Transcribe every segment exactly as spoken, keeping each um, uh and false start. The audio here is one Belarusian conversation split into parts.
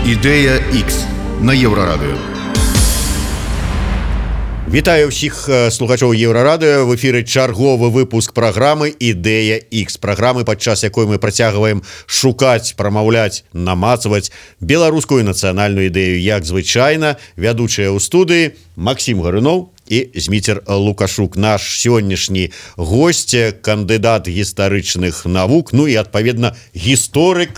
Ідэя Х на Еўрарадыё. Вітаю ўсіх слухачоў Еўрарадыё. В эфіры чарговы выпуск праграмы «Ідэя Х». Праграмы, падчас якой мы працягваем шукаць, прамаўляць, намацваць беларускую нацыянальную ідэю. Як звычайна, вядучыя ў студыі Максім Гаруноў і Зміцер Лукашук. Наш сённяшні госць, кандыдат гістарычных навук, ну і, адпаведна, гісторык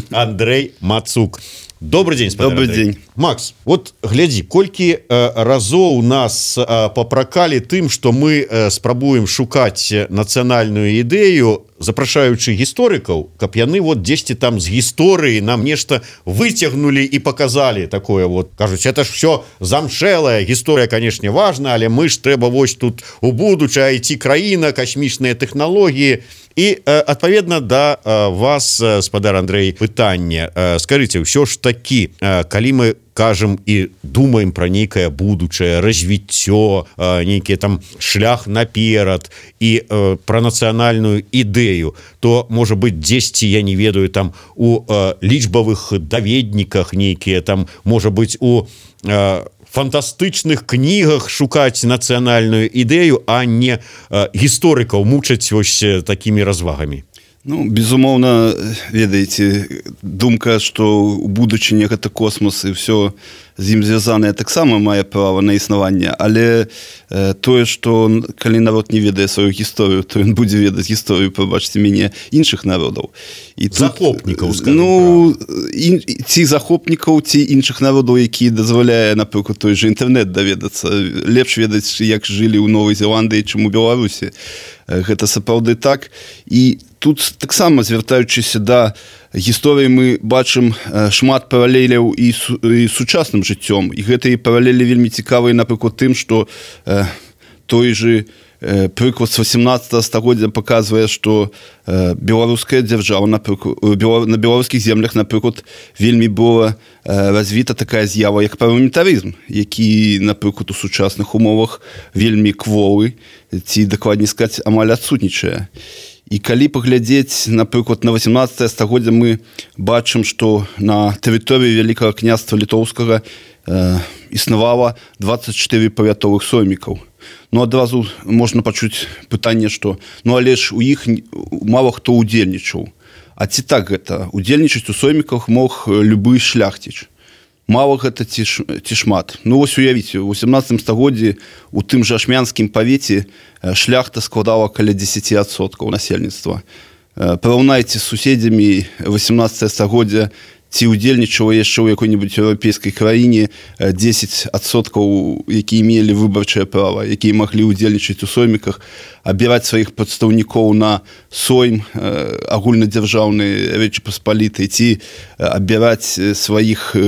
Андрэй Мацук. Добрый день, Добрый день. Макс, вот глядзі, колькі э, разоў нас э, папракалі тым, што мы э, спрабуем шукаць нацыянальную ідэю, запрашаючы гісторыкаў, каб яны вот дзесьці там з гісторыі нам нешта выцягнулі і показалі такое вот. Кажуць, это ж все замшэлая гісторыя, канешне, важна, але мы ж трэба вось тут у будучае ці краіна, касмічныя тэхналогіі. І, адпаведна, да вас, спадар Андрэй, пытанне. Скажыце, ўсё ж такі, калі мы кажам і думаем пра нейкае будучае, развіццё, нейкі там шлях наперад і пра нацыянальную ідэю, то, можа быць, дзесьці, я не ведаю, там у лічбавых даведніках нейкія, там, можа быць, у фантастычных кнігах шукаць нацыянальную ідэю, а не э, гісторыкаў мучаць вось такімі развагамі. Ну, безумоўна, ведаеце, думка, што ў будучыні гэта космос і ўсё з ім звязанае, таксама мае права на існаванне, але э, тое, што калі народ не ведае сваю гісторыю, то ён будзе ведаць гісторыю, прабачце мяне, іншых народаў. І захопнікаў, скажем, ну, і, ці захопнікаў, ці іншых народаў, які дазваляе, напрыклад, той же інтэрнэт даведацца. Лепш ведаць, як жылі ў Новай Зеландыі, чым у Беларусі. Гэта сапраўды так. І тут таксама, звяртаючыся да гісторыі, мы бачым шмат паралеляў і, су, і сучасным жыццём. І гэтыя паралелі вельмі цікавыя, напрыклад, тым, што э, той же э, прыклад з васямнаццатага стагоддзя паказвае, што э, беларуская дзяржава, напрыклад, бела, на беларускіх землях, напрыклад, вельмі была э, развіта такая з'ява, як парламентарызм, які, напрыклад, у сучасных умовах вельмі кволы, ці, дакладней сказаць, амаль адсутнічае. І калі паглядзець, напрыклад, на васямнаццатае стагоддзя, мы бачым, што на тэрыторыі Вялікага княства літоўскага э, існавала дваццаць чатыры павятовых соймікаў. Ну, адразу можна пачуць пытанне, што ну, але ж у іх мала хто ўдзельнічаў. А ці так гэта? Удзельнічаць у сойміках мог любы шляхціч. Мала гэта ці, ці шмат. Ну, вось уявіце, у васямнаццатым стагоддзі у тым жа ашмянскім павеце шляхта складала каля дзесяць адсоткаў насельніцтва. Параўнайце з суседзямі васямнаццатае стагоддзя, ці ўдзельнічала яшчэ ў якой-небудзь еўрапейскай краіне дзесяць адсоткаў, якія мелі выбарчае права, якія маглі ўдзельнічаць у сойміках, абіраць сваіх прадстаўнікоў на сойм агульнадзяржаўнай Рэчы Паспалітай, ці абіраць сваіх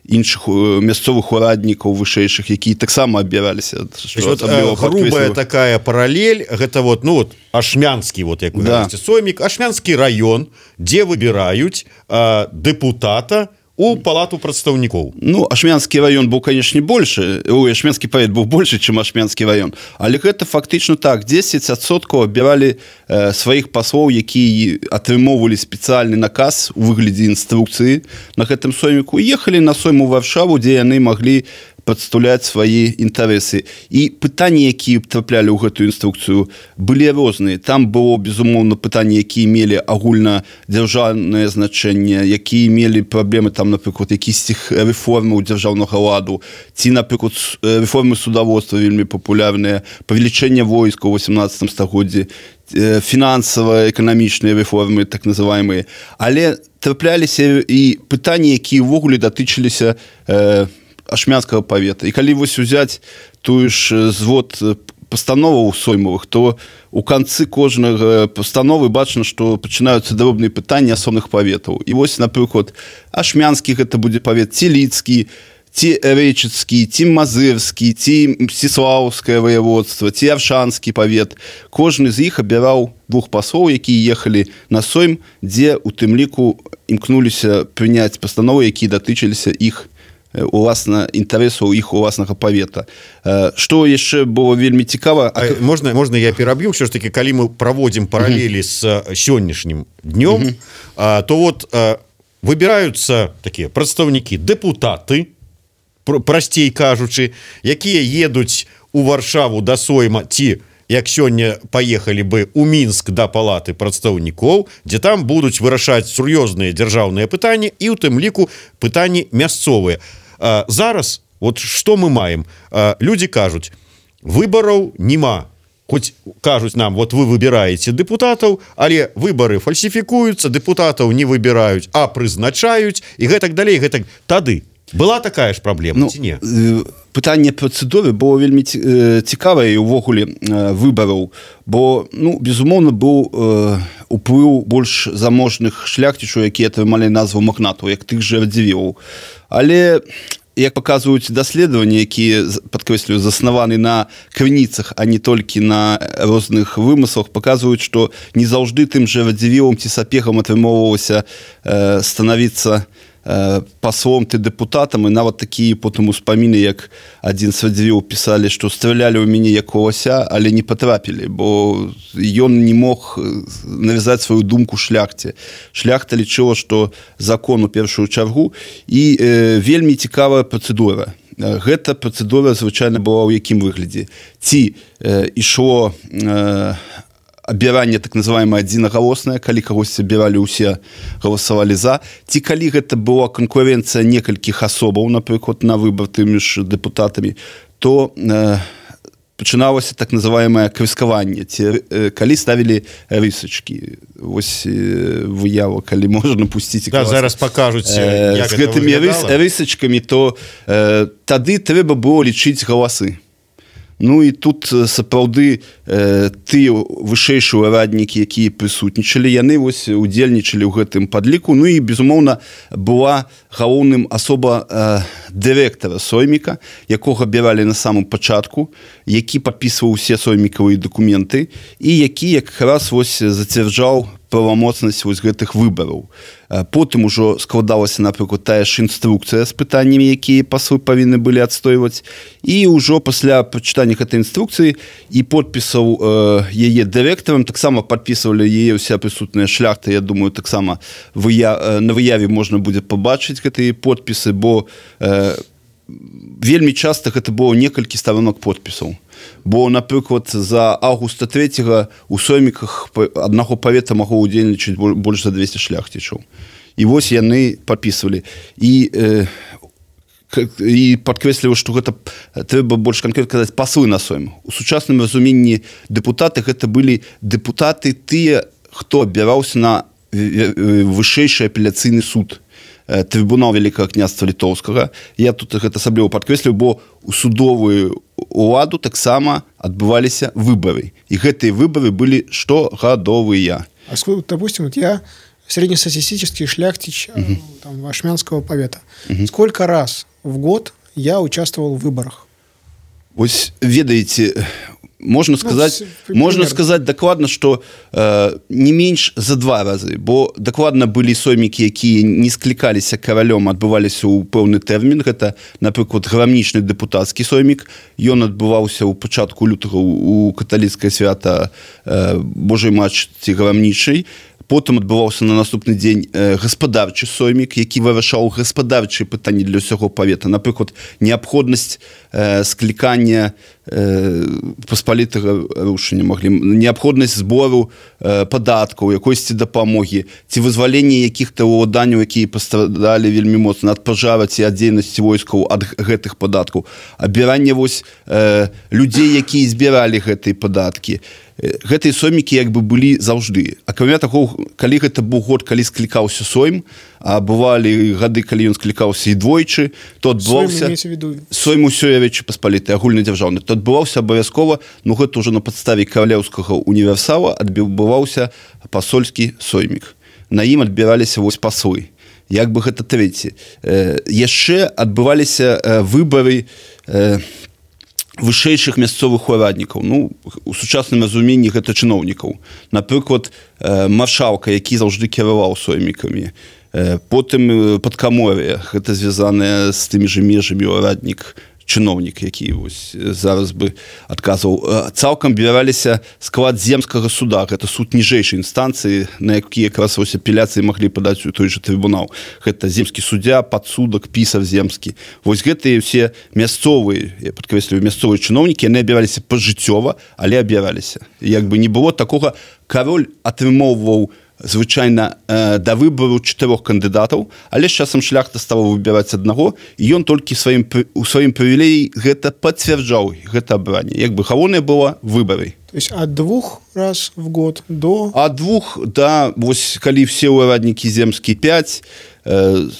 іншых мясцовых ураднікаў вышэйшых, якія таксама абіраліся. Вот, грубая такая паралель, гэта вот, ну вот, ашмянскі, вот, як вы да. Говорите, соймік, ашмянскі раён, дзе выбіраюць э, дэпутата у палату прадстаўнікоў. Ну, ашмянскі раён быў, канешне, большы. Ой, ашмянскі павет быў большы, чым ашмянскі раён. Але гэта фактычна так. дзесяць адсоткаў абіралі э, сваіх паслоў, якія атрымоўвалі спецыяльны наказ у выглядзе інструкцыі на гэтым сойміку. Ехалі на сойм у Варшаву, дзе яны маглі прадстаўляць свае інтарэсы. І пытанні, якія траплялі ў гэтую інструкцыю, былі розныя. Там было, безумоўна, пытанні, якія мелі агульнадзяржаўнае значэнне, якія мелі праблемы, там, напрыклад, якісьці рэформы ў дзяржаўнага ладу, ці, напрыклад, рэформы судаводства вельмі папулярныя, павелічэнне войска ў васямнаццатым стагоддзі, фінансава-эканамічныя рэформы, так называемыя. Але трапляліся і пытанні, якія ўвогуле датычыліся э, ашмянскага павета. І калі вось узяць тую ж звод пастановаў соймовых, то у канцы кожнага пастановы бачна, што пачынаюцца дробныя пытанні асобных паветаў. І вось, напрыклад, ашмянскі гэта будзе павет, ці лідскі, ці рэчыцкі, ці мазырскі, ці мсціслаўскае ваяводства, ці аршанскі павет. Кожны з іх абіраў двух паслоў, якія ехалі на сойм, дзе у тым ліку імкнуліся прыняць пастановы, якія датычыліся іх уласна інтарэсаў іх уласнага павета. Што яшчэ было вельмі цікава, а... можна можна я пераб'ю, все ж таки, калі мы праводзім паралелі з сённяшнім днём, то вот выбіраюцца такія прадстаўнікі дэпутаты, прасцей кажучы, якія едуць у Варшаву да Сойма ці як сёння паехалі бы у Мінск да палаты прадстаўнікоў, дзе там будуць вырашаць сур'ёзныя дзяржаўныя пытанні і ў тым ліку пытанні мясцовыя. А, зараз вот што мы маем? А, людзі кажуць, выбараў нема. Хоць кажуць нам, вот вы выбіраеце дэпутатаў, але выбары фальсіфікуюцца, дэпутатаў не выбіраюць, а прызначаюць і гэтак далей, гэтак тады. Была такая ж праблема, ну, ці не? Пытанне працэдуры было вельмі цікавае увогуле выбараў, бо, ну, безумоўна, быў уплыў больш заможных шляхцічаў, якія атрымалі назву магнатаў, як тых жа Радзівілаў. Але, як паказваюць даследаванні, якія, падкрэслюю, заснаваны на крыніцах, а не толькі на розных вымыслах, паказваюць, што не заўжды тым жа Радзівілам ці сапегам атрымоўвалася станавіцца паслом ты дэпутатам, і нават такія потым успаміны, як адзін з Радзівілаў пісалі, што стралялі ў мяне як лося, але не патрапілі, бо ён не мог навязаць сваю думку шляхце. Шляхта лічыла, што закон у першую чаргу, і э, вельмі цікавая працэдура. Гэта працэдура звычайна была ў якім выглядзе. Ці э, ішло э, абіранне так называемое адзінагалоснае, калі кагосьці абіралі, усе галасавалі за, ці калі гэта была канкурэнцыя некалькіх асобаў, напрыклад, на выбар тымі ж дэпутатамі, то э, пачыналася так называемое крыскаванне, ці э, калі ставілі рысачкі. Вось э, выява, калі можна пусціць. Да, зараз пакажуць, э, як з гэтымі рыс, рысачкамі, то э, тады трэба было лічыць галасы. Ну і тут сапраўды э, тыя вышэйшыя ўраднікі, якія прысутнічалі, яны вось удзельнічалі ў гэтым падліку. Ну і, безумоўна, была галоўным асоба э, дырэктара сойміка, якога абіралі на самым пачатку, які падпісваў усе соймікавыя дакументы і які якраз вось зацвярджаў правамоцнасць вось гэтых выбараў. Потым ужо складалася, напрыклад, тая ж інструкцыя з пытаннямі, якія паслы павінны былі адстойваць. І ўжо пасля прачытання гэтай інструкцыі і подпісаў э, яе дырэктарам, таксама падпісвалі яе ўся прысутная шляхта. Я думаю, таксама выя... на выяве можна будзе пабачыць гэтыя подпісы, бо э, вельмі часта гэта было некалькі старонак подпісаў. Бо, напрыклад, за аўгуста трэцяга у сойміках аднаго павета магло ўдзельнічаць больш за двесце шляхцічаў. І вось яны падпісвалі. І, э, і падкрэсліваю, што гэта трэба больш канкрэтна казаць паслы на сойм. У сучасным разуменні дэпутаты гэта былі дэпутаты тыя, хто абіраўся на вышэйшы апеляцыйны суд. Трыбунал Вялікага княства Літоўскага. Я тут гэта асабліва падкрэслю, бо у судовую уладу таксама адбываліся выбары. І гэтыя выбары былі штогадовыя. А допустим, вот я среднестатистический шляхтич угу. там, Вашмянского повета. Угу. Сколько раз в год я участвовал в выборах? Вось ведаеце, можна сказаць, ну, можна сказаць дакладна, што э, не менш за два разы, бо дакладна былі соймікі, якія не склікаліся каралём, адбываліся ў пэўны тэрмін. Гэта, напрыклад, грамнічны дэпутацкі соймік. Ён адбываўся ў пачатку лютага у каталіцкае свята э, Божай Мачці грамнічай. Потым адбываўся на наступны дзень э, гаспадарчы соймік, які вырашаў гаспадарчыя пытанні для ўсяго павета. Напрыклад, неабходнасць э, склікання э, паспалітага рушання маглі, неабходнасць збору э, падаткаў, якойсьці дапамогі, ці вызваленне якіх-то ўладанняў, якія пастрадалі вельмі моцна ад пажара ці ад дзейнасці войскаў ад гэтых падаткаў. Абіранне вось э, людзей, якія збіралі гэтыя падаткі. Гэтыя соймікі як бы былі заўжды. Акрамя таго, калі гэта быў год, калі склікаўся сойм, а бывалі гады, калі ён склікаўся і двойчы, то адбываўся сойм усёй Рэчы Паспалітай, агульнадзяржаўны, то адбываўся абавязкова, ну гэта ўжо на падставе каралеўскага універсала адбываўся пасольскі соймік. На ім адбіраліся вось паслы. Як бы гэта трэці. Э, яшчэ адбываліся э, выбары э, вышэйшых мясцовых ураднікаў. Ну, у сучасным разуменні гэта чыноўнікаў. Напрыклад, маршалка, які заўжды кіраваў соймікамі. Потым падкамор'е, гэта звязанае з тымі ж межамі ураднік, чыноўнік, які вось зараз бы адказваў. Цалкам абіраліся склад земскага суда. Гэта суд ніжэйшай інстанцыі, на які якраз вось апеляцыі маглі падаць у той жа трыбунал. Гэта земскі суддзя, падсудак, пісар земскі. Вось гэтыя ўсе мясцовыя, я падкрэсліваю, мясцовыя чыноўнікі, яны абіраліся пажыццёва, але абіраліся. Як бы не было такога, кароль атрымоўваў звычайна э, да выбару чатырох кандыдатаў, але з часам шляхта стала выбіраць аднаго, і ён толькі сваім, у сваім прывілеі гэта пацвярджаў, гэта абранне. Як бы галоўнае было выбары. То есть от двух раз в год до... От двух, да, вось калі все ўраднікі земскія пяць, э,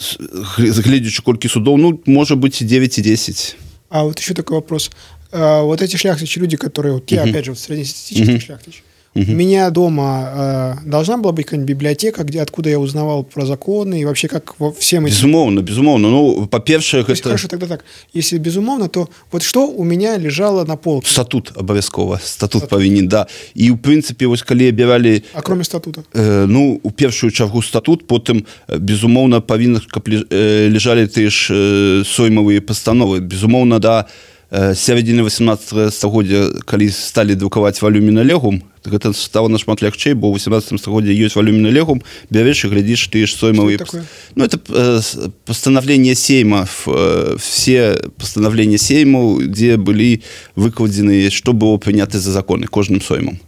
гледзячы колькі судоў, ну, можа быць і девять, и десять. А вот еще такой вопрос. А, вот эти шляхтичи, люди, которые... Вот я, uh-huh. опять же, вот среднестатистический uh-huh. шляхтич. Uh-huh. У меня дома э, должна была быть какая-нибудь библиотека, где, откуда я узнавал про законы и вообще как во всем этим... Безумовно, безумовно. Ну, по-перше... Это... Хорошо, тогда так. Если безумовно, то вот что у меня лежало на полке? Статут обовязково. Статут, Статут. Повинен, да. И, в принципе, вот коли обирали... А кроме статута? Э, ну, у першую чаргу статут, потом, безумовно, повинны, каб лежали теж э, соймовые постановы. Безумовно, да, э, с середины восемнадцатого стагоддзя, калі стали друкаваць валюміна легум, гэта стало нашмат лягчэй, бо ў восемнадцатым стагоддзі ёсць валюміна легум, бярэш і глядзіш тыя ж соймовыя. Ну, это э, постановление Сейма, э, все постановления Сейму, где были выкладзены, что было принято за законы кожным соймом.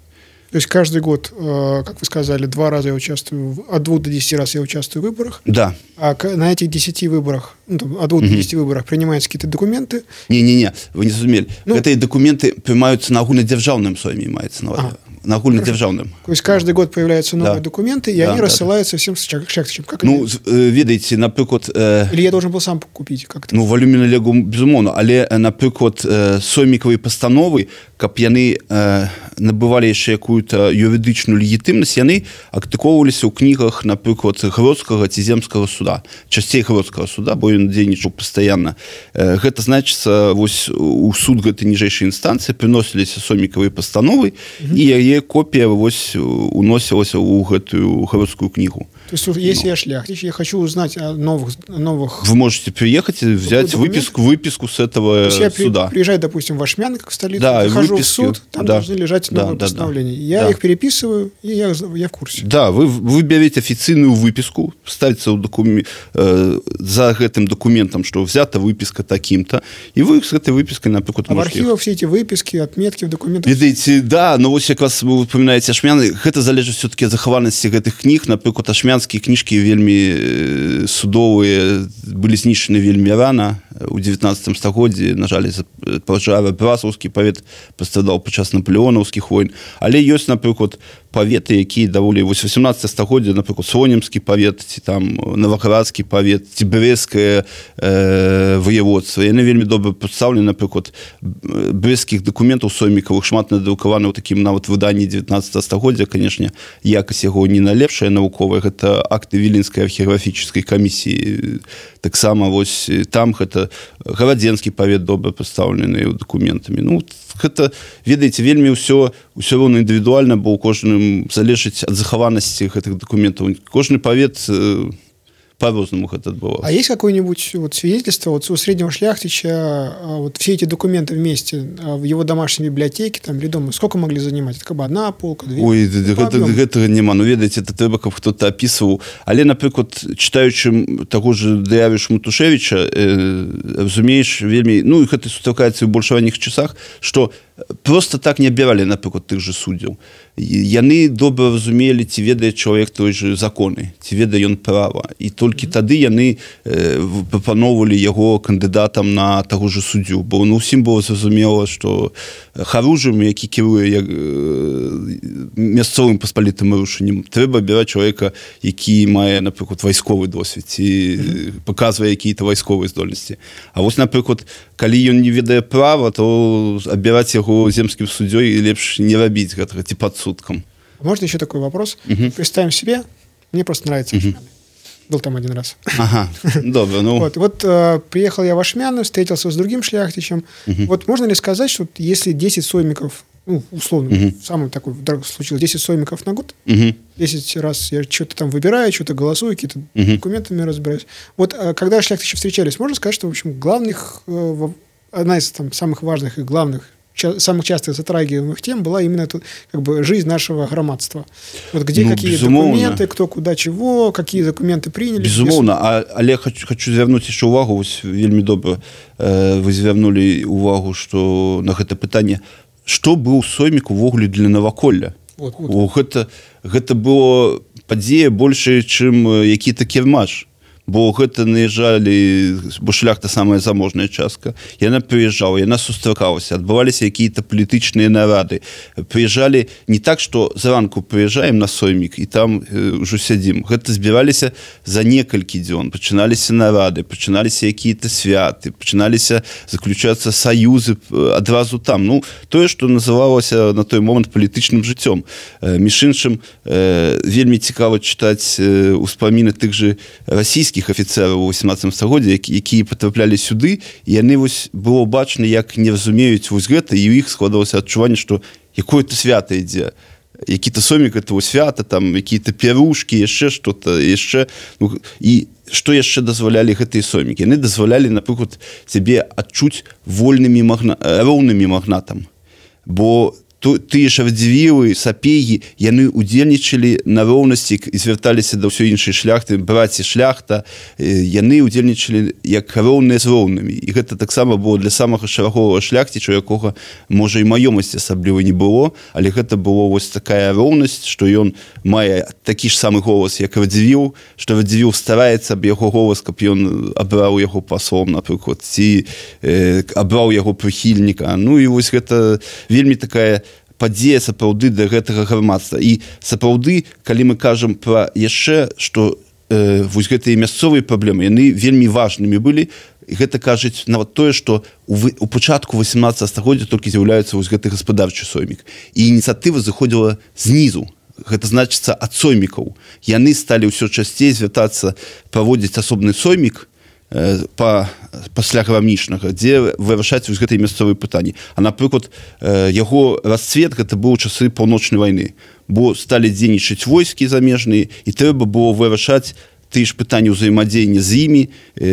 То есть каждый год, как вы сказали, два раза я участвую, от двух до десяти раз я участвую в выборах. Да. А на этих десяти выборах, ну, там, от двух до десяти выборах принимаются какие-то документы? Не-не-не, вы не зразумели. Ну, эти документы принимаются на агульнадзяржаўным сойме, имеется на увазі. На агульнадзяржаўным. То есть каждый год появляются новые да. документы, и да, они да, рассылаются да. всем шляхтичам. Как ну, ведаеце, напрыклад... Э... Или я должен был сам купить как-то? Ну, валюміна легум, безумоўна, але, напрыклад, э, соймікавыя пастановы, каб яны э, набывалі яшчэ якую-то юрыдычную легітымнасць, яны актыковваліся ў кнігах, напрыклад, Гродскага ці Земскага суда. Часцей Гродскага суда, бо ён дзейнічаў пастаянна. Э, гэта значыцца, вось у суд гэтай ніжэйшай інстанцыі прыносіліся соймікавыя пастановы, mm-hmm. і яе копія вось уносілася ў гэтую Гродскую книгу. То есть, если ну. я шляхтич, я хочу узнать о новых... новых... Вы можете приехать и взять выписку, выписку с этого То есть суда. Я приезжаю, допустим, в Ашмян, как в столицу, да, захожу выписки, в суд, там да, должны лежать новые да, постановления. Да, я да. их переписываю, и я, я в курсе. Да, вы, вы берете официальную выписку, ставится докум... э, за этим документом, что взята выписка таким-то, и вы с этой выпиской, например, а в архивах все эти выписки, отметки в документах... Видите, да, но вот как раз вы упоминаете Ашмян, это залежит все-таки от захаванности этих книг, например, ашмянские книжки вельми судовые были знищены вельми рано, у девятнадцатым стагоддзі, на жаль, из-за пожара Брасаўскі павет пастрадаў падчас наполеонаўскіх войн, але ёсць, напрыклад, паветы, якія даволі вось восемнадцатае стагоддзе, напрыклад, Сонемскі павет, ці там Новаградскі павет, ці Брэсцкае э, воеводства. Яны вельмі добра прадстаўлены, напрыклад, брэсцкіх дакументаў соймікавых шмат надрукаваны ў такім нават выданні девятнадцатага стагоддзя, канешне, якасць яго не найлепшая навуковая, гэта акты Віленскай археаграфічнай камісіі. Таксама вось там гэта Гарадзенскі павет добра прадстаўлены дакументамі. Ну, гэта, ведаеце, вельмі ўсё ўсё роўна індывідуальна, бо ў кожным залежыць ад захаванасці гэтых дакументаў. Кожны павет э, по-розному это было. А есть какое-нибудь вот свидетельство вот у среднего шляхтича, вот все эти документы вместе в его домашней библиотеке там, или дома, сколько могли занимать? Это как бы одна полка, две? Ой, гэтага няма. Ну, ведаеце, это трэба, каб хто-то опісваў. Але, напрыклад, чытаючы таго ж Дэявіш Матушевіча, э, разумееш, вельмі, ну, гэта сустракаецца ў больш ранніх часах, што просто так не абіралі, напрыклад, тых же суддзяў. Яны добра разумелі, ці ведае чалавек той же законы, ці ведае ён права. І толькі mm-hmm. тады яны э, прапаноўвалі яго кандыдатам на таго же суддзю. Бо ну, усім было зразумела, што харужым, які кіруе як, э, мясцовым паспалітым рушэннем, трэба абіраць чалавека, які мае, напрыклад, вайсковы досвед, ці mm-hmm. паказвае якія-то вайсковыя здольнасці. А вось, напрыклад, калі ён не ведае права, то абіраць яго земским суддей лепш не рабіць гэтага, ці падсудкам. Можно еще такой вопрос? Uh-huh. Представим себе, мне просто нравится uh-huh. Ашмяны. Был там один раз. Ага, добро, ну. Вот, вот э, приехал я в Ашмяны, встретился с другим шляхтичем. Uh-huh. Вот можно ли сказать, что если десять соймиков, ну, условно, uh-huh. самый такой случилось, десять соймиков на год, uh-huh. десять раз я что-то там выбираю, что-то голосую, какие-то uh-huh. документами разбираюсь. Вот э, когда шляхтичи встречались, можно сказать, что, в общем, главных... Э, одна из там, самых важных и главных, ча- самых часто затрагиваемых тем была именно тут, как бы, жизнь нашего громадства. Вот где Ну, какие безумовно. документы, кто куда чего, какие документы приняли. Безумоўна, а, але хочу, хочу звярнуць яшчэ ўвагу, вось вельмі добра э, вы звярнулі ўвагу, што на гэта пытанне, што быў соймік увогуле для наваколля. Вот, вот. О, гэта, гэта было падзея большая, чым які-то кірмаш. Бо гэта наезжалі, бо шляхта самая заможная частка. Яна прыязджала, яна сустракалася, адбываліся якія-то палітычныя нарады. Прыязджалі не так, што зранку прыязджаем на соймік і там э, ўжо сядзім. Гэта збіраліся за некалькі дзён. Пачыналіся нарады, пачыналіся якія-то святы, пачыналіся заключацца саюзы адразу там. Ну, тое, што называлася на той момант палітычным жыццём. Э, між іншым, э, вельмі цікава чытаць э, успаміны тых же расійскіх афіцераў у восемнадцатым стагоддзі, які, якія патраплялі сюды, і яны вось было бачна, як не разумеюць вось гэта, і ў іх складалася адчуванне, што якое-то свята ідзе. Які-то соймік это свята, там якія-то пярушкі, яшчэ што-то, яшчэ, ну, і што яшчэ дазвалялі гэтыя соймікі? Яны дазвалялі, напрыклад, сябе адчуць вольнымі магна... роўнымі магнатам. Бо тыя ж радзівілы, сапегі, яны удзельнічалі на роўнасці і звярталіся да ўсёй іншай шляхты, браці шляхта, яны удзельнічалі як роўныя з роўнымі. І гэта таксама было для самага шараговага шляхціча, якога, можа, і маёмасці асабліва не было, але гэта было вось такая роўнасць, што ён мае такі ж самы голас, як радзівіл, што радзівіл стараецца аб яго голас, каб ён абраў яго паслом, напрыклад, ці э, абраў яго прыхільніка. Ну і вось гэта вельмі такая падзея сапраўды да гэтага грамадства. І сапраўды, калі мы кажам пра яшчэ, што э, вось гэтыя мясцовыя праблемы, яны вельмі важнымі былі, і гэта кажуць нават тое, што у, у пачатку восемнадцатага стагоддзя толькі з'яўляецца вось гэты гаспадарчы соймік. І ініцыятыва заходзіла знізу. Гэта значыцца ад соймікаў. Яны сталі ўсё часцей звяртацца праводзіць асобны соймік, па, пасля грамічнага, дзе вырашаць вось гэтыя мясцовыя пытанні. А, напрыклад, яго расцвет гэта быў часы паўночнай вайны, бо сталі дзейнічаць войскі замежныя, і трэба было вырашаць тыя ж пытанні ўзаемадзеяння з імі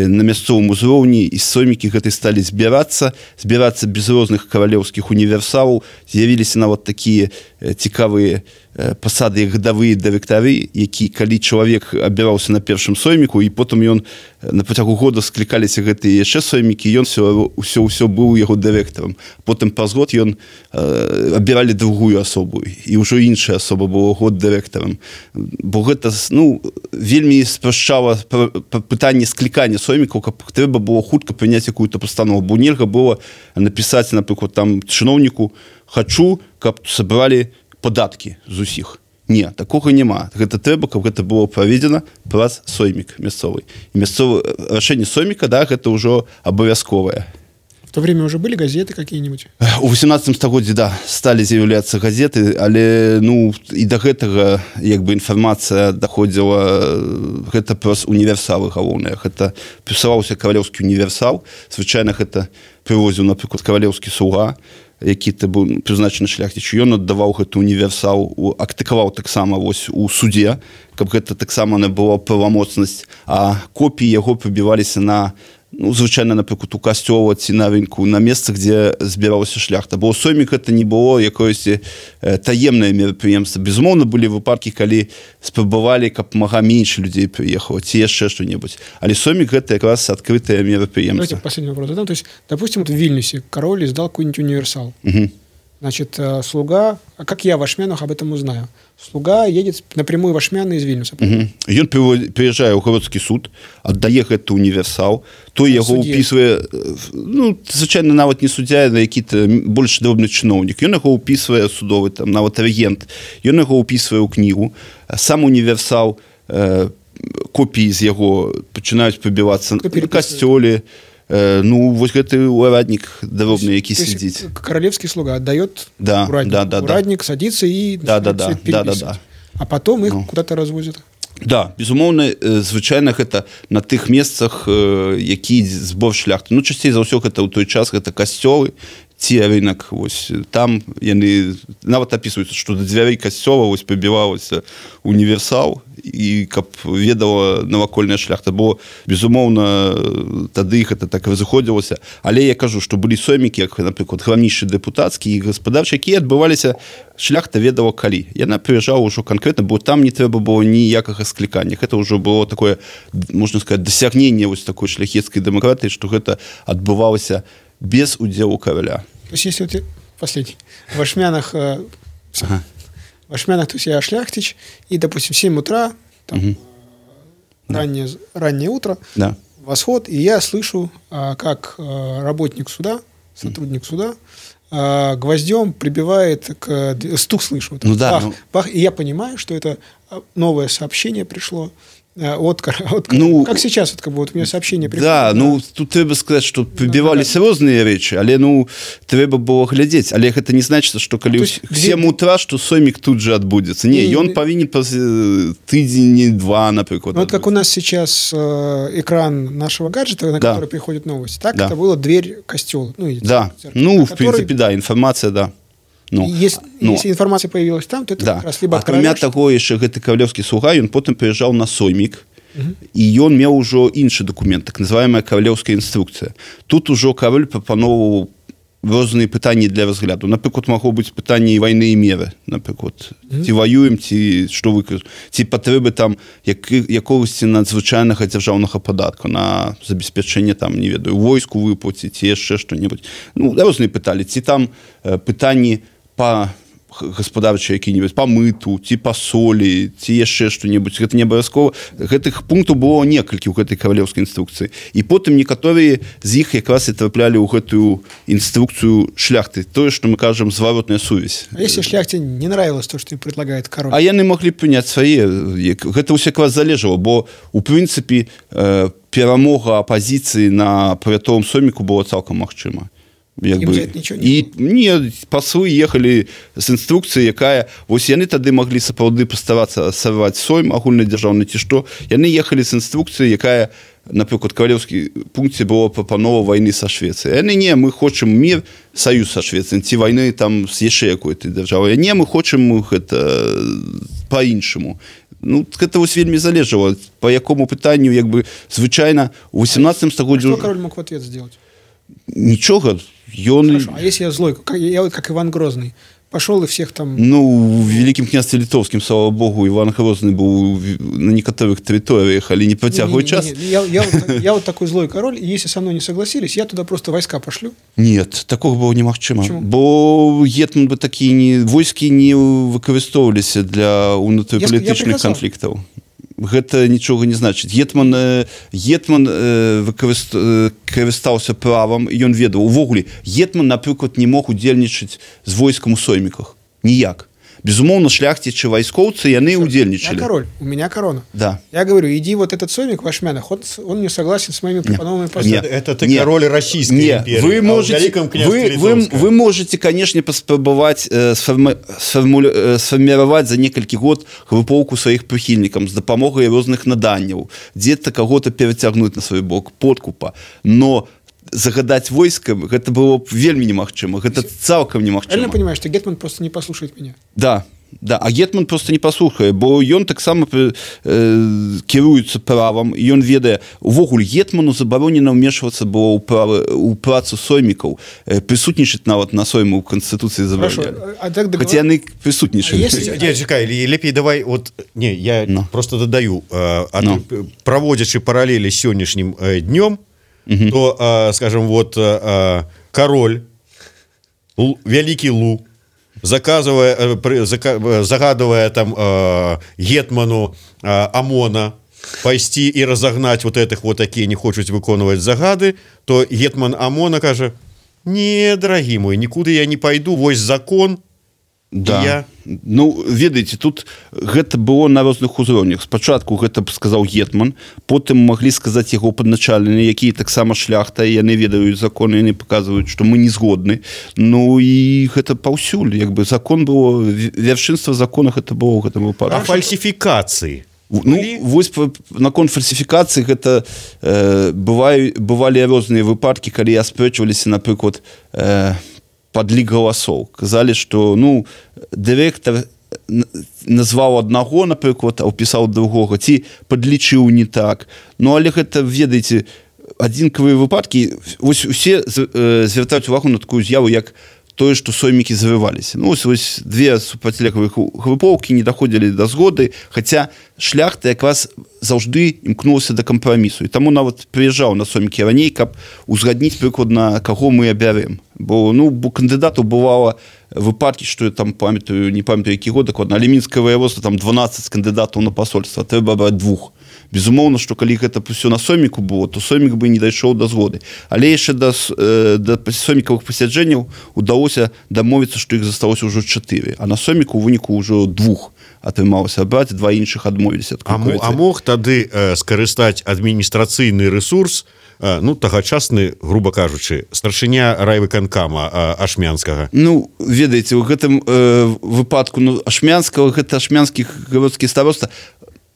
на мясцовым узроўні, і соймікі гэтай сталі збірацца, збірацца без розных каралеўскіх універсалаў, з'явіліся нават такія цікавыя пасады, як гадавыя дырэктары, які, калі чалавек абіраўся на першым сойміку, і потым ён на працягу года склікаліся гэтыя яшчэ соймікі, ён ўсё ўсё быў яго дырэктарам. Потым праз год ён э, абіралі другую асобу, і ўжо іншая асоба была год дырэктарам. Бо гэта, ну, вельмі спрашчала пытанне склікання соймікаў, каб трэба было хутка прыняць якую-то пастанову. Бо нельга было напісаць, напрыклад, там чыноўніку: «Хачу, каб сабралі падаткі з усіх». Не, такога няма. Гэта трэба, каб гэта было праведзена праз соймік мясцовы. І мясцовае рашэнне сойміка, да, гэта ўжо абавязковае. В то время уже были газеты какие-нибудь? У восемнадцатым стагоддзі, да, сталі з'яўляцца газеты, але, ну, і да гэтага, як бы, інфармацыя даходзіла, гэта праз універсалы галоўныя. Гэта пісаўся каралеўскі універсал, звычайна гэта прывозіў, напрыклад, каралеўскі слуга, які ты быў прызначаны шляхціч, ён аддаваў гэты універсал, актыкаваў таксама вось у судзе, каб гэта таксама не была правамоцнасць, а копіі яго прыбіваліся на, ну, звычайна, напрыклад, у касцёла ці на рынку, на месцах, дзе збіралася шляхта. Бо соймік гэта не было якоюсь э, таемнае мерапрыемства. Безумоўна, былі выпадкі, калі спрабавалі, каб мага менш людзей прыехала, ці яшчэ што-небудзь. Але соймік гэта якраз адкрытае мерапрыемства. Давайте последний вопрос задам. То есть, допустим, вот в Вильнюсе король издал какой-нибудь универсал. Угу. Значит, слуга, а как я в Ашмянах об этом узнаю? Слуга едет напрямую в Ашмяны из Вильнюса. Угу. Ён приезжае ў гародскі суд, аддае гэты універсал, той яго ўпісвае, ну, звычайна, нават не суддзя, на які-то больш дробны чыноўнік. Ён яго ўпісвае судовы, там, нават рэгент. Ён яго ўпісвае ў кнігу. Сам універсал, э, копіі з яго пачынаюць прыбівацца на касцёле. Ну, вот гэты ураднік дробны, які сидзіць. Королевский слуга отдает да, урадник. Да, да, урадник да. садится и да, да, да, да, да, да. А потом их ну. куда-то развозят. Да, безумоўна, звычайна гэта на тых месцах, які збор шляхты. Ну, часцей за ўсё гэта ў той час гэта касцёлы, ці рынок вось там яны нават апісваюцца што да дзвярэй касцёла вось прыбіваўся універсал і каб ведала навакольная шляхта бо безумоўна тады іх это так разыходзілася але я кажу што былі сомікі як напрыклад храмнічы дэпутацкі і гаспадарчы якія адбываліся шляхта ведала калі яна прыязджала ўжо канкрэтна бо там не трэба было ніякага склікання гэта ўжо было такое можна сказаць дасягненне вось такой шляхецкай дэмакратыі што гэта адбывалася без удзелу короля. То есть, если вот последний, в Ашмянах, э, ага. в Ашмянах, то есть я шляхтич, и, допустим, в семь утра, там, угу. раннее, да. раннее утро, да. восход, и я слышу, э, как э, работник суда, сотрудник угу. суда, э, гвоздем прибивает к... Стук слышу. Вот, ну, да, бах, ну... бах, и я понимаю, что это новое сообщение пришло. От, от, ну, как сейчас, вот, как бы, вот у меня сообщение приходит. Да, ну, тут трэба сказаць, што прыбіваліся ну, розныя рэчы, але, ну, трэба было глядзець. Але гэта не значыць, што калі ў сем утра, што сомік тут же адбудзецца. Не, не ён не, павінен праз тыдзень-два, напрыклад. Ну, вот как у нас сейчас э, экран нашего гаджета, на да. который приходят новости, так да. это была дверь костела. Ну, да, церковь, ну, в который... принципе, да, информация, да. Ну, если, ну, если информация появилась там, то это да. как раз либо акрамя таго яшчэ гэты кавалёўскі слуга ён потым прыязджаў на соймік uh-huh. і ён меў ужо іншы документ так называемая кавалёўская інструкцыя тут ужо кароль прапаноўваў розныя пытанні для разгляду напрыклад магло быць пытанне вайны і меры напрыклад uh-huh. ці ваюем ці што вы ці патрэбы там як, якогосьці надзвычайнага дзяржаўнага падатку на забеспячэнне там не ведаю войску выплаціць ці яшчэ што-небудзь ну розныя пыталі ці там э, пытанні па гаспадарчыя які-небудзь па мыту ці па солі ці яшчэ што-небудзь гэта не абавязкова гэтых пунктаў было некалькі ў гэтай кавалёўскай інструкцыі і потым некаторыя з іх якраз і траплялі ў гэтую інструкцыю шляхты тое што мы кажам зваротная сувязь. А если шляхте не нравилось то что им предлагает король а яны маглі прыняць свае гэта ўсё якраз залежала бо у прынцыпе э, перамога апазіцыі на павятовым соміку было цалкам магчыма як бы і не паслы ехалі з інструкцыі якая вось яны тады маглі сапраўды паставацца сарваць сойм агульнадзяржаўны ці што яны ехалі з інструкцыі якая напрыклад кавалёўскі пункце было прапанова вайны са Швецыяй яны не мы хочам мір саюз са Швецыяй ці вайны там з яшчэ якой-то дзяржавай не мы хочам гэта па-іншаму ну гэта вось вельмі залежала па якому пытанню як бы звычайна у восемнадцатым стагоддзі што король мог в ответ сделать нічога ён... Хорошо, а если я злой, как, я как Иван Грозный, пошел и всех там... Ну, в Великом княстве Литовском, слава богу, Иван Грозный был на некоторых территориях, але не протягивает час. Не, не, не, я, я, вот, я вот такой злой король, и если со мной не согласились, я туда просто войска пошлю. Нет, такого было немагчыма. Почему? Бо гетман бы такие не... Войски не выкарыстоўваліся для унутрыпалітычных конфликтов. Гэта нічога не значыць гетман гетман карыстаўся правам ён ведаў увогуле гетман напрыклад не мог удзельнічаць з войскам у сойміках ніяк безумоўно шляхцічы вайскоўцы яны удзельнічалі я король у меня корона да я говорю иди вот этот соймик в Ашмянах он, он не согласен с моими пропановыми поступками это ты не. Король российской не. империи вы можете вы, вы, вы можете конечно паспрабаваць э, сфармулю, сфарміраваць за некалькі год групоўку сваіх прыхільнікам з дапамогай розных наданняў дзе-то каго-то перацягнуць на свой бок подкупа но загадать войска, это было вельмі немагчыма. Гэта цалкам немагчыма. Правильно понимаешь, что гетман просто не послушает меня? Да, да, а гетман просто не паслухае, бо ён таксама э, кіруецца правам, і ён ведае, увогуле гетману забаронена ўмешвацца было ў правы ў працу соймікаў, э, прысутнічаць нават на сойму ў канстытуцыі забаронялі. А так договор... Хотя яны прысутнічалі. Если... Чекай, лепей давай, вот, не, я no. просто дадаю, э, no. проводячи параллели с сённяшнім э, днём, Uh-huh. то, э, скажем, вот э, король, Л, великий Лу, заказывая, э, зака, загадывая там э, гетману э, Амона пойти и разогнать вот этих вот такие не хочуть выконывать загады, то гетман Амона каже, не, дорогие мои, никуда я не пойду, вось закон. Да. Я... Ну, ведаеце, тут гэта было на розных узроўнях. Спачатку гэта сказаў гетман, потым маглі сказаць яго падначалены, якія таксама шляхта, і яны ведаюць законы, яны паказваюць, што мы не згодны. Ну і гэта паўсюль, як бы закон было, вяршынства закона гэта было, гэта было парашка. А фальсифікацыі? Ну, вось наконт фальсифікацыі гэта э, бывалі, бывалі розныя выпадкі, калі аспрэчваліся, напрыклад, э, падлік галасоў. Казалі, што ну дырэктар назваў аднаго, напрыклад, а ўпісаў другога, ці падлічыў не так. Ну але гэта, ведаеце, адзінкавыя выпадкі, вось усе звяртаюць увагу на такую з'яву, як тое, што соймікі завываліся. Ну, ось, ось две супрацьлеглых групоўкі не даходзілі да згоды, хаця шляхта якраз заўжды імкнулася да кампрамісу. І таму нават прыязджаў на соймікі раней, каб узгадніць прыкладна, каго мы абярем. Бо, ну, бо кандыдатаў бывала выпадкі, што я там памятаю, не памятаю, які год дакладна, але мінскае воеводства, там дванаццаць кандыдатаў на пасольства, трэба браць двух. Безумоўна, што калі гэта ўсё на сойміку было, то соймік бы не дайшоў да згоды. Але яшчэ да, да соймікавых пасяджэнняў удалося дамовіцца, што іх засталося ўжо чатыры, а на сойміку ў выніку ўжо двух атрымалася браць, два іншых адмовіліся. А, а мог тады э, скарыстаць адміністрацыйны ресурс, э, ну, тагачасны, груба кажучы, старшыня райвыканкама э, Ашмянскага? Ну, ведаеце, у гэтым э, выпадку ну, Ашмянскага, гэта ашмянскі гародскі староста,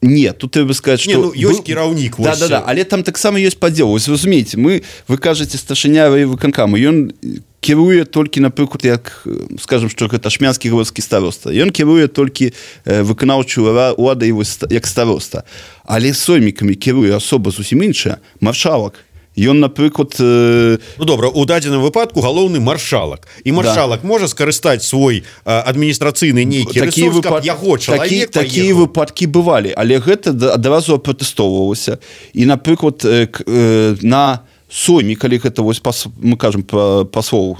не, тут трэба сказаць, што... Не, ну, ёсць кіраўнік. Да, да, да, але там таксама ёсць падзел. Вось разумееце, мы, вы кажаце, старшыня райвыканкама, ён кіруе толькі, напрыклад, як, скажам, што гэта ашмянскі гародскі староста. Ён кіруе толькі э, выканаўчую уладу як староста. Але соймікамі кіруе асоба зусім іншая, маршалак. Ён, напрыклад... Э... Ну, добра, у дадзеным выпадку галоўны маршалак. І маршалак да. можа скарыстаць свой э, адміністрацыйны нейкі ресурс, выпад... каб яго чалавек такі, такія выпадкі бывалі, але гэта адразу апротэстоўвалася. І, напрыклад, э, э, на сойме, калі гэта, вось, пас... мы кажам пра паслоў,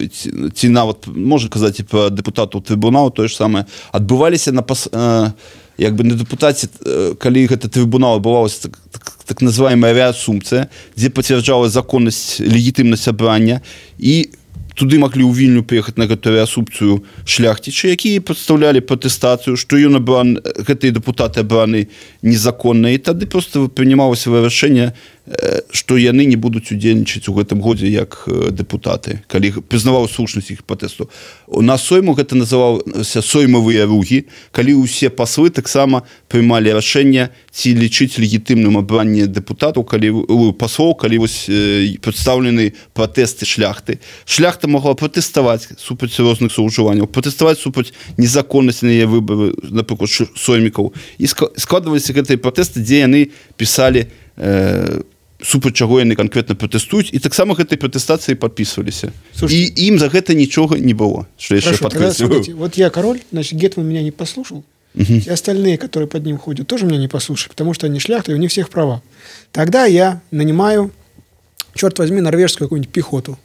ці, ці нават, можна казаць, і пра дэпутатаў трыбунала, тое ж самае, адбываліся на пас... Э... як бы на дэпутаце, калі гэта трыбунал адбывалася так, так, так называемая реасумпцыя, дзе пацвярджала законнасць, легітымнасць абрання, і туды маглі ў Вільню прыехаць на гэтую реасумпцыю шляхцічы, якія прадстаўлялі пратэстацыю, што ён абран, гэтыя дэпутаты абраны незаконна, і тады проста прынималася вырашэнне, што яны не будуць удзельнічаць у гэтым годзе як дэпутаты, калі прызнаваў слушнасць іх пратэсту. На сойму гэта называлася соймавыя ругі, калі ўсе паслы таксама прымалі рашэнне, ці лічыць легітымным абранне дэпутатаў, калі паслоў, калі вось прадстаўлены пратэсты шляхты. Шляхта могла пратэставаць супраць розных злоўжыванняў, пратэставаць супраць незаконнасці на яе выбары, напрыклад, соймікаў. І складваліся гэтыя пратэсты, дзе яны пісалі э, супраць чаго яны канкрэтна пратэстуюць, і таксама гэтай пратэстацыі падпісваліся. І ім за гэта нічога не было. Хорошо, тогда смотрите, вот я король, значит, Гетман меня не послушал, угу. Все остальные, которые под ним ходят, тоже меня не послушали, потому что они шляхты, и у них всех права. Тогда я нанимаю, черт возьми, норвежскую какую-нибудь пехоту.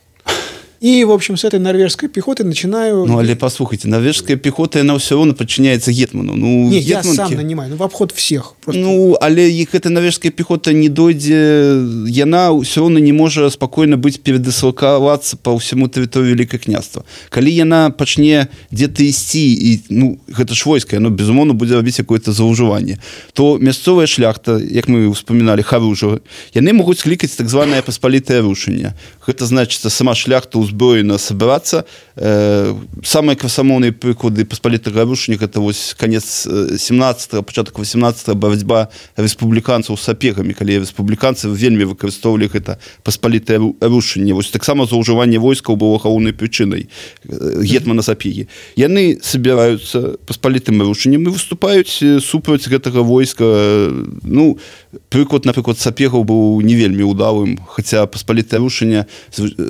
И, в общем, с этой норвежской пехотой начинаю... Ну, але послухайте, норвежская пехота, она все равно подчиняется Гетману. Ну, не, гетманки... я сам нанимаю, ну, в обход всех. Просто... Ну, але их эта норвежская пехота не дойдзе, яна все равно не может спокойно быть передислоковаться по всему территорию Великое княжество. Коли яна почне где-то идти, и, ну, это ж войско, оно, безумовно, будет робить какое-то злоуживание, то мясцовая шляхта, как мы вспоминали, харужа, яны могут скликать так званое посполитое рушение. Это значит, сама шляхта узброена собраться. Э, самые красамоўныя прыклады паспалітага рушення — это вось канец семнадцатага, пачатак восемнадцатага, барацьба рэспубліканцаў з сапегамі, калі рэспубліканцы вельмі выкарыстоўвалі гэта паспалітае рушэнне. Вось таксама злоўжыванне войскаў было галоўнай прычынай гетмана сапегі. Яны собираюцца паспалітым рушэннем і выступаюць супраць гэтага войска. Ну, прыклад, напрыклад, сапегаў быў не вельмі удалым, хаця паспалітае рушэнне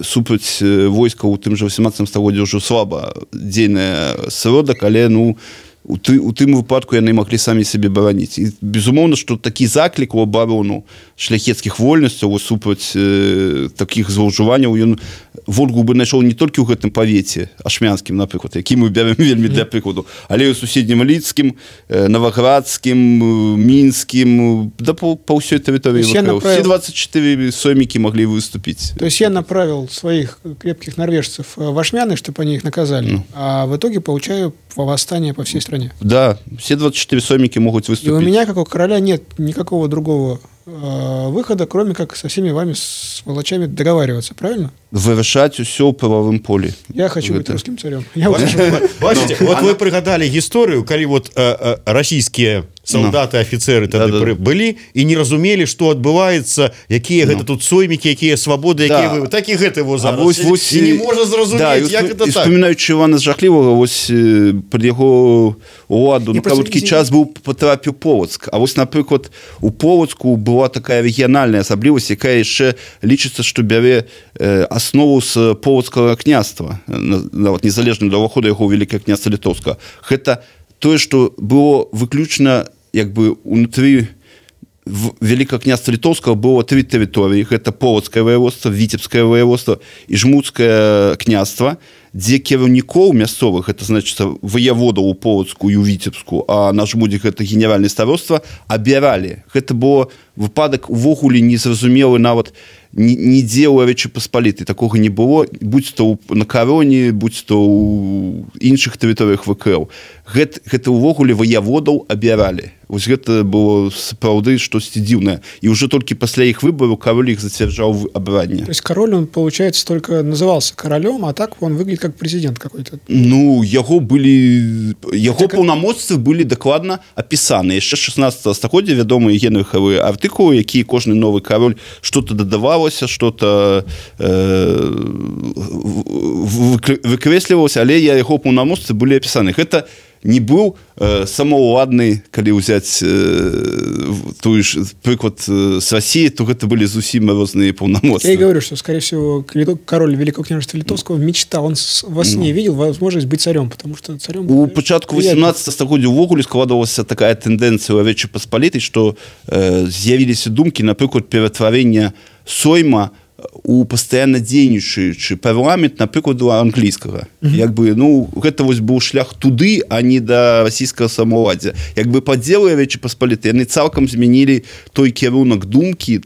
супраць войска ў тым жа восемнадцатым стагоддзі ўжо слаба дзейная сродак, але ну у, ты, у тым выпадку яны маглі самі сябе бараніць. І безумоўна, што такі заклік у абарону шляхецкіх вольнасцяў супраць э, такіх злоўжыванняў ён водгук бы знайшоў не толькі ў гэтым павеце ашмянскім, напрыклад, які мы бярем вельмі для прыкладу, але і ў суседнім лідскім, э, наваградскім, мінскім, да па, па ўсёй тэрыторыі. Направил... Все двадцать четыре соймікі маглі выступіць. То есть я направил своих крепких норвежцев в Ашмяны, чтобы они их наказали, ну. А в итоге получаю восстание по всей стране. Да, все двадцать четыре соймики могут выступить. И у меня, как у короля, нет никакого другого э, выхода, кроме как со всеми вами, с волочами, договариваться, правильно? вырашаць усё ў прававым полі. Я хочу быть Гэта. русским царем. Я уже Бачите, вот вы пригадали историю, калі вот э, э, российские солдаты, офицеры тады Да, да. пры- былі і не разумелі, што адбываецца, якія гэта тут соймікі, якія свабоды, якія Да. вы... Так і гэта его А зараз. вось, вось, І не можа зразумець, да, і як успо- гэта і так. Вспоминаючи Івана Жахлівого, ось е, під його уладу Я на просто короткий не- час був потрапив Полоцк. А ось, наприклад, у Полоцку була така регіональна особливість, яка ще лічиться, що бере е, основу з Полоцького князства, на- на- от незалежно до виходу його у Велике князство Литовського. Це те, що було виключно якби унутрі в Великого князства Литовского было три территории. Это Полоцкое воеводство, Витебское воеводство и Жмутское княство, где кіраўнікоў мясцовых, это значит воеводаў у Полоцку и у Витебску, а на Жмуде это генеральное староство, абіралі. Это было выпадак увогуле незразумелы нават нідзе ў Рэчы Паспалітай. Такога не было, будь то на Кароне, будь то ў іншых тэрыторыях ВКЛ. Гэта, гэта увогуле воеводаў абіралі. Вось гэта было сапраўды штосьці дзіўнае. І уже толькі пасля іх выбораў король их зацвярджаў абранне. То есть король, он, получается, только назывался королем, а так он выглядит как президент какой-то. Ну, яго былі... Яго Так... паўнамоцтвы былі дакладна апісаны. Яшчэ шестнадцатого стагоддзя вядомыя генрыхавы артыкулы, якія кожны новы король что-то дадавалася, что-то э, выкрэслівалася, але яго паўнамоцтвы былі апісаны. Гэта не быў э, самаўладны, калі ўзяць э, тую ж прыклад э, з России, то гэта былі зусім розныя паўнамоцтвы. Я и говорю, что, скорее всего, король Великого княжества Литовского мечтал, он во сне видел возможность быть царем, потому что царем... У пачатку восемнадцатого стагоддзя ўвогуле складывалася такая тэндэнцыя ў Рэчы Паспалітай, што э, з'явіліся думкі, напрыклад, ператварэння Сойма у пастаянна дзейнічаючы парламент, напрыклад, у англійскага. Mm-hmm. Як бы, ну, гэта вось быў шлях туды, а не да расійскага самаўладдзя. Як бы падзелы Рэчы Паспалітай, яны цалкам змянілі той кірунак думкі,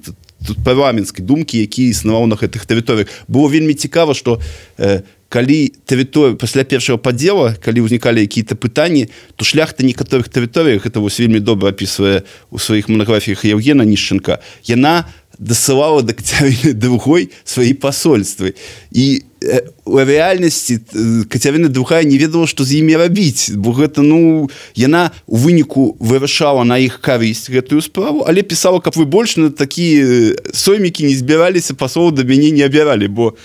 парламенцкай думкі, які існаваў на гэтых тэрыторыях. Было вельмі цікава, што э, калі тэрыторыя пасля першага падзела, калі ўзнікалі якія-то пытанні, то шляхта некаторых тэрыторыях, гэта вось вельмі добра апісвае у сваіх монографіях Евгена Нішченка, яна дасылала да Кацярыны другой свае пасольствы. І э, у рэальнасці Кацярына другая не ведала, што з імі рабіць, бо гэта, ну, яна у выніку вырашала на іх карысць гэтую справу, але пісала, каб вы больш на такія соймікі не збіраліся, пасоў да мяне не абіралі, бо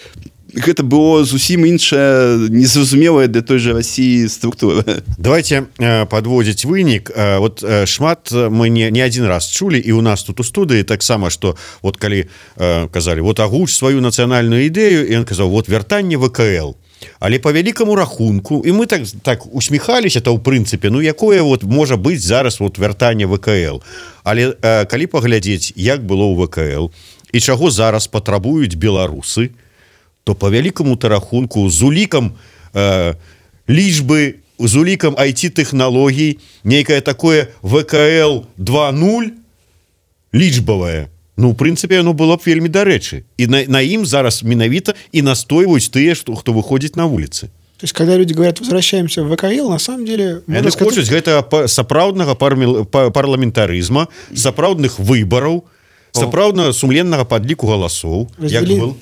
гэта было зусім іншая, незразумелая для той же России структура. Давайте э, подводить вынік. Э, вот э, шмат мы не, не один раз чулі, і у нас тут у студыі таксама, што вот калі э, казалі, вот агуч сваю нацыянальную ідэю, і ён казаў, вот вяртанне ВКЛ. Але по вялікаму рахунку, і мы так, так усміхаліся, то ў прынцыпе, ну якое вот можа быць зараз вот вяртанне ВКЛ. Але э, калі паглядзець, як было ў ВКЛ, і чаго зараз патрабуюць беларусы, то по вялікаму рахунку з улікам э, лічбы, з улікам ай ти-тэхналогій, нейкае такое ВКЛ два нуль лічбавае. Ну, в прынцыпе, оно было б вельмі дарэчы. І на, на ім зараз менавіта і настойваюць тыя, што, хто выходзіць на вуліцы. То есть, когда люди говорят, возвращаемся в ВКЛ, на самом деле... Яны хочуць гэта сапраўднага парламентарызма, сапраўдных выбараў, сапраўдна сумленнага падліку галасоў. Як был?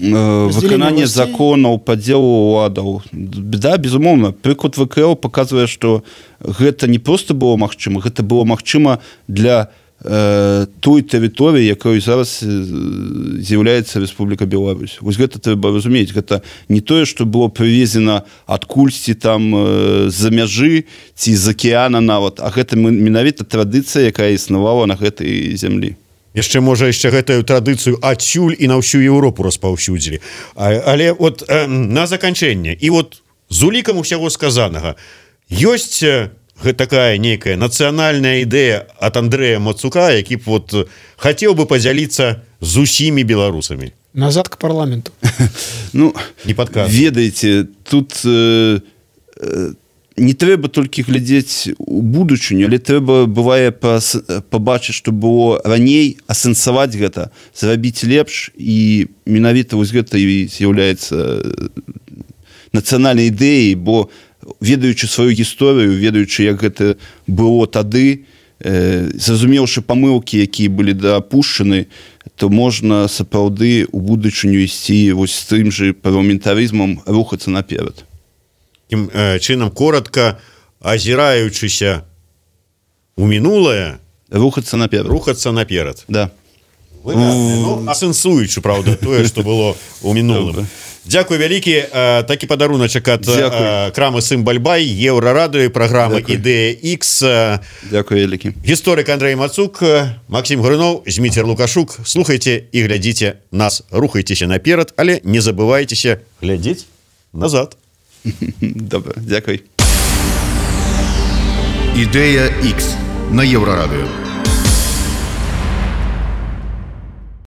Выкананне законаў, падзелу уладаў. Да, безумоўна. Прыклад ВКЛ паказвае, што гэта не проста было магчыма, гэта было магчыма для э, той тэрыторыі, якой зараз з'яўляецца Рэспубліка Беларусь. Вось гэта трэба разумець. Гэта не тое, што было прывезена адкульсьці там э, з-за мяжы ці з акеана нават, а гэта менавіта традыцыя, якая існавала на гэтай зямлі. Яшчэ, можа, яшчэ гэтую традыцыю адсюль і на ўсю Еўропу распаўсюдзілі. Але вот э, на заканчэнне, і вот з улікам усяго сказанага, ёсць такая нейкая нацыянальная ідэя ад Андрэя Мацука, які б вот хацеў бы падзяліцца з усімі беларусамі. Назад к парламенту. Ну, не падказвай. Ведаеце, тут... Э, э, не трэба толькі глядзець у будучыню, але трэба, бывае, пабачыць, што было раней, асэнсаваць гэта, зрабіць лепш, і менавіта вось гэта і з'яўляецца нацыянальнай ідэяй, бо ведаючы сваю гісторыю, ведаючы, як гэта было тады, зразумеўшы памылкі, якія былі дапушчаны, то можна сапраўды ў будучыню ісці вось з тым же парламентарызмам, рухацца наперад. Таким э, чынам коротко, азіраючыся у мінулае, рухацца наперад. Рухацца наперад. Да. Ну, асэнсуючы, правда, тое, што было ў мінулым. Дзякуй вялікі. Такі падаруначак ад крамы Сымбальбай, Еўрарадыё, праграма «Ідэя Х». Дзякуй вялікі. Гісторык Андрэй Мацук, Максім Груноў, Зміцер Лукашук. Слухайце і глядзіце нас. Рухайцеся наперад, але не забывайцеся глядзець назад. Добра, дзякуй. «Ідэя Х» на Еўрарадыё.